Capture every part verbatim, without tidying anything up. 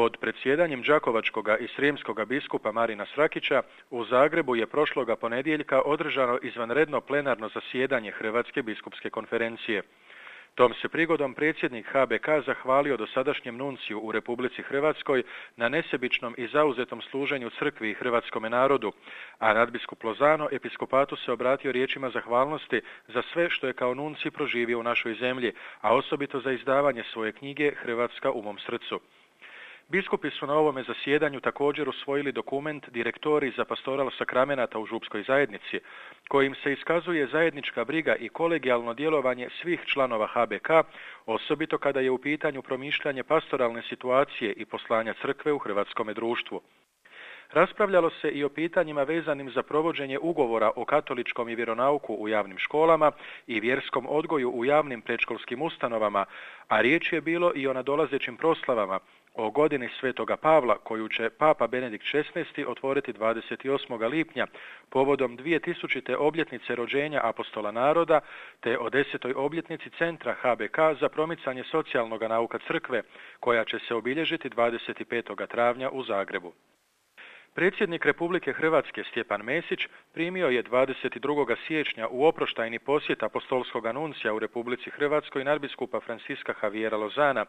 Pod predsjedanjem đakovačkoga i srijemskoga biskupa Marina Srakića u Zagrebu je prošloga ponedjeljka održano izvanredno plenarno zasjedanje Hrvatske biskupske konferencije. Tom se prigodom predsjednik H B K zahvalio dosadašnjem nunciju u Republici Hrvatskoj na nesebičnom i zauzetom služenju crkvi i hrvatskome narodu, a nadbiskup Lozano episkopatu se obratio riječima zahvalnosti za sve što je kao nunci proživio u našoj zemlji, a osobito za izdavanje svoje knjige Hrvatska u mom srcu. Biskupi su na ovome zasjedanju također usvojili dokument Direktori za pastoral sakramenata u župskoj zajednici, kojim se iskazuje zajednička briga i kolegijalno djelovanje svih članova H B K, osobito kada je u pitanju promišljanje pastoralne situacije i poslanja crkve u hrvatskome društvu. Raspravljalo se i o pitanjima vezanim za provođenje ugovora o katoličkom i vjeronauku u javnim školama i vjerskom odgoju u javnim predškolskim ustanovama, a riječ je bilo i o nadolazećim proslavama, o godini Svetoga Pavla, koju će Papa Benedikt šesnaesti otvoriti dvadeset osmog lipnja povodom dvjetisućite obljetnice rođenja apostola naroda, te o desetoj obljetnici Centra H B K za promicanje socijalnog nauka crkve, koja će se obilježiti dvadeset petog travnja u Zagrebu. Predsjednik Republike Hrvatske Stjepan Mesić primio je dvadeset drugog siječnja u oproštajni posjet apostolskog nuncija u Republici Hrvatskoj nadbiskupa Franciska Javiera Lozana,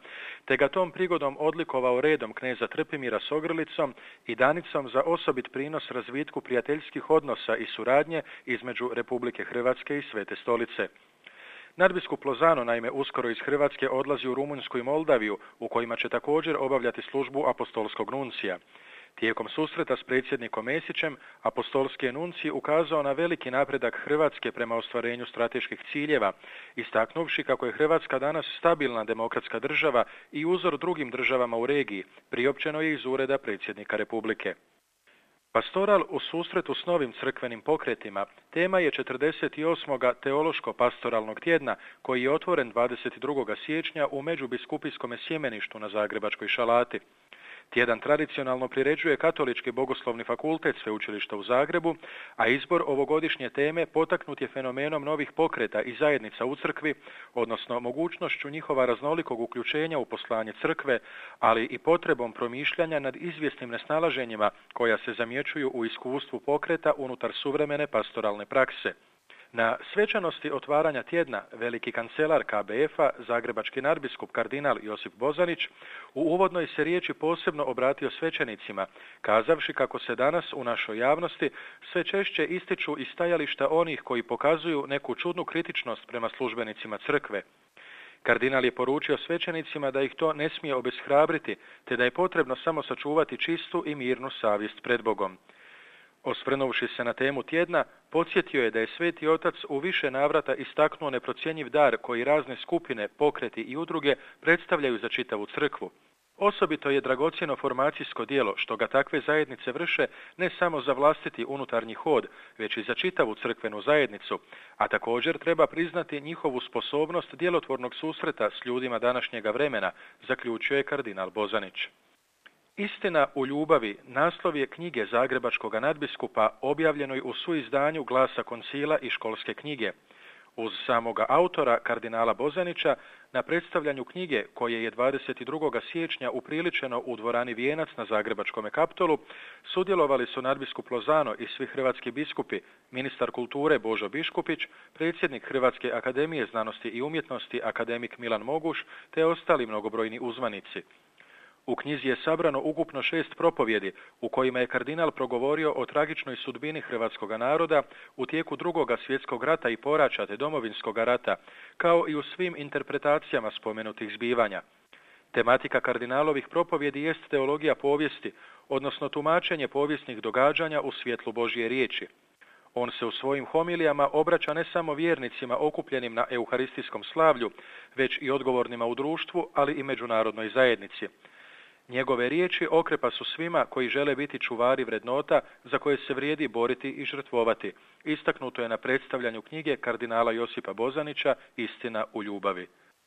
te ga tom prigodom odlikovao redom kneza Trpimira s ogrlicom i danicom za osobit prinos razvitku prijateljskih odnosa i suradnje između Republike Hrvatske i Svete Stolice. Nadbiskup Lozano naime uskoro iz Hrvatske odlazi u Rumunjsku i Moldaviju, u kojima će također obavljati službu apostolskog nuncija. Tijekom susreta s predsjednikom Mesićem, apostolski nuncij ukazao na veliki napredak Hrvatske prema ostvarenju strateških ciljeva, istaknuvši kako je Hrvatska danas stabilna demokratska država i uzor drugim državama u regiji, priopćeno je iz ureda predsjednika Republike. Pastoral u susretu s novim crkvenim pokretima tema je četrdeset osmog teološko-pastoralnog tjedna, koji je otvoren dvadeset drugog siječnja u Međubiskupijskom sjemeništu na Zagrebačkoj Šalati. Tjedan tradicionalno priređuje Katolički bogoslovni fakultet Sveučilišta u Zagrebu, a izbor ovogodišnje teme potaknut je fenomenom novih pokreta i zajednica u crkvi, odnosno mogućnošću njihova raznolikog uključenja u poslanje crkve, ali i potrebom promišljanja nad izvjesnim nesnalaženjima koja se zamjećuju u iskustvu pokreta unutar suvremene pastoralne prakse. Na svečanosti otvaranja tjedna veliki kancelar K B F-a, zagrebački nadbiskup kardinal Josip Bozanić, u uvodnoj se riječi posebno obratio svećenicima, kazavši kako se danas u našoj javnosti sve češće ističu i stajališta onih koji pokazuju neku čudnu kritičnost prema službenicima crkve. Kardinal je poručio svećenicima da ih to ne smije obeshrabriti, te da je potrebno samo sačuvati čistu i mirnu savjest pred Bogom. Osvrnuvši se na temu tjedna, podsjetio je da je Sveti Otac u više navrata istaknuo neprocjenjiv dar koji razne skupine, pokreti i udruge predstavljaju za čitavu crkvu. Osobito je dragocjeno formacijsko djelo što ga takve zajednice vrše ne samo za vlastiti unutarnji hod, već i za čitavu crkvenu zajednicu, a također treba priznati njihovu sposobnost djelotvornog susreta s ljudima današnjega vremena, zaključio je kardinal Bozanić. Istina u ljubavi naslov je knjige zagrebačkog nadbiskupa objavljenoj u suizdanju Glasa koncila i školske knjige. Uz samoga autora, kardinala Bozanića, na predstavljanju knjige, koje je dvadeset drugog siječnja upriličeno u dvorani Vijenac na Zagrebačkom Kaptolu, sudjelovali su nadbiskup Lozano i svi hrvatski biskupi, ministar kulture Božo Biškupić, predsjednik Hrvatske akademije znanosti i umjetnosti akademik Milan Moguš, te ostali mnogobrojni uzvanici. U knjizi je sabrano ukupno šest propovjedi u kojima je kardinal progovorio o tragičnoj sudbini hrvatskog naroda u tijeku drugoga svjetskog rata i poraća te domovinskog rata, kao i u svim interpretacijama spomenutih zbivanja. Tematika kardinalovih propovjedi jest teologija povijesti, odnosno tumačenje povijesnih događanja u svjetlu Božje riječi. On se u svojim homilijama obraća ne samo vjernicima okupljenim na euharistijskom slavlju, već i odgovornima u društvu, ali i međunarodnoj zajednici. Njegove riječi okrepa su svima koji žele biti čuvari vrednota za koje se vrijedi boriti i žrtvovati. Istaknuto je na predstavljanju knjige kardinala Josipa Bozanića Istina u ljubavi.